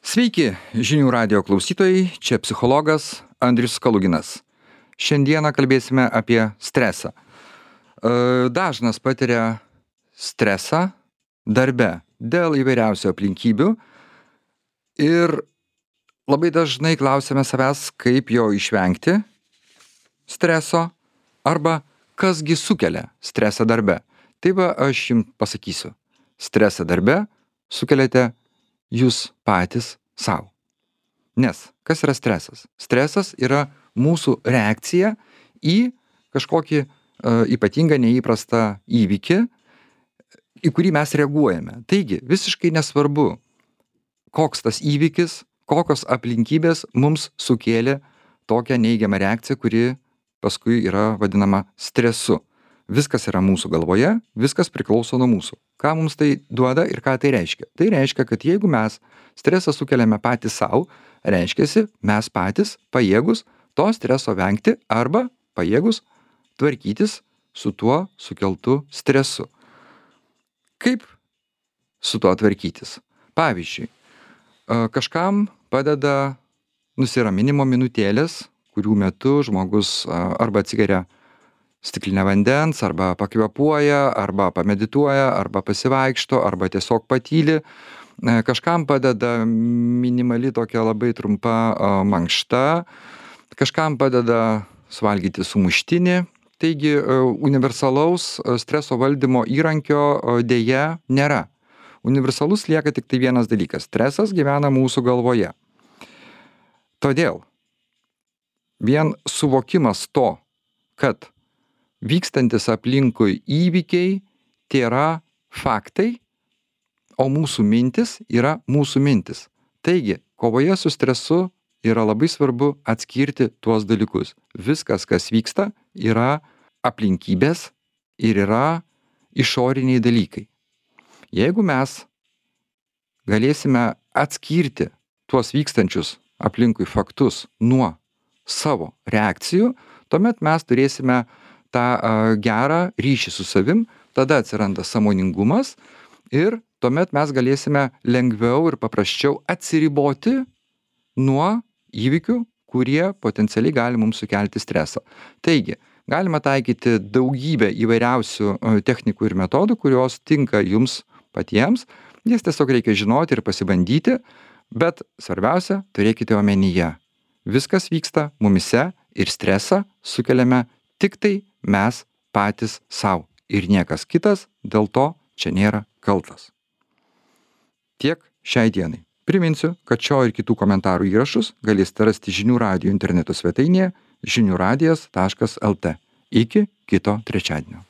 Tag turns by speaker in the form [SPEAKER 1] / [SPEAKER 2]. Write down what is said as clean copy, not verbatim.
[SPEAKER 1] Sveiki, žinių radijo klausytojai, čia psichologas Andrius Kaluginas. Šiandieną kalbėsime apie stresą. Dažnas patiria stresą darbe dėl įvairiausių aplinkybių ir labai dažnai klausiame savęs, kaip jo išvengti streso arba kasgi sukelia stresą darbe. Tai va, aš jums pasakysiu. Stresą darbe sukeliate jūs patys savo. Nes kas yra stresas? Stresas yra mūsų reakcija į kažkokį ypatingą neįprastą įvykį, į kurį mes reaguojame. Taigi, visiškai nesvarbu, koks tas įvykis, kokios aplinkybės mums sukėlė tokią neigiamą reakciją, kuri paskui yra vadinama stresu. Viskas yra mūsų galvoje, viskas priklauso nuo mūsų. Ką mums tai duoda ir ką tai reiškia? Tai reiškia, kad jeigu mes stresą sukeliame patys savo, reiškiasi, mes patys pajėgus to streso vengti arba pajėgus tvarkytis su tuo sukeltu stresu. Kaip su tuo tvarkytis? Pavyzdžiui, kažkam padeda nusiraminimo minutėlės, kurių metu žmogus arba atsigeria stiklinę vandens, arba pakvėpuoja, arba pamedituoja, arba pasivaikšto, arba tiesiog patyli. Kažkam padeda minimali tokia labai trumpa mankšta, kažkam padeda suvalgyti sumuštinį. Taigi universalaus streso valdymo įrankio deja nėra. Universalus lieka tik tai vienas dalykas. Stresas gyvena mūsų galvoje. Todėl vien suvokimas to, kad vykstantis aplinkui įvykiai tėra faktai, o mūsų mintis yra mūsų mintis. Taigi, kovoje su stresu yra labai svarbu atskirti tuos dalykus. Viskas, kas vyksta, yra aplinkybės ir yra išoriniai dalykai. Jeigu mes galėsime atskirti tuos vykstančius aplinkui faktus nuo savo reakcijų, tuomet mes turėsime tą gerą ryšį su savim, tada atsiranda sąmoningumas ir tuomet mes galėsime lengviau ir paprasčiau atsiriboti nuo įvykių, kurie potencialiai gali mums sukelti stresą. Taigi, galima taikyti daugybę įvairiausių technikų ir metodų, kurios tinka jums patiems. Jas tiesiog reikia žinoti ir pasibandyti, bet svarbiausia, turėkite omenyje. Viskas vyksta mumyse ir stresą sukeliame tik tai mes patys savo ir niekas kitas dėl to čia nėra kaltas. Tiek šiai dienai. Priminsiu, kad šio ir kitų komentarų įrašus galėsite rasti žinių radijo interneto svetainėje žiniųradijas.lt. Iki kito trečiadienio.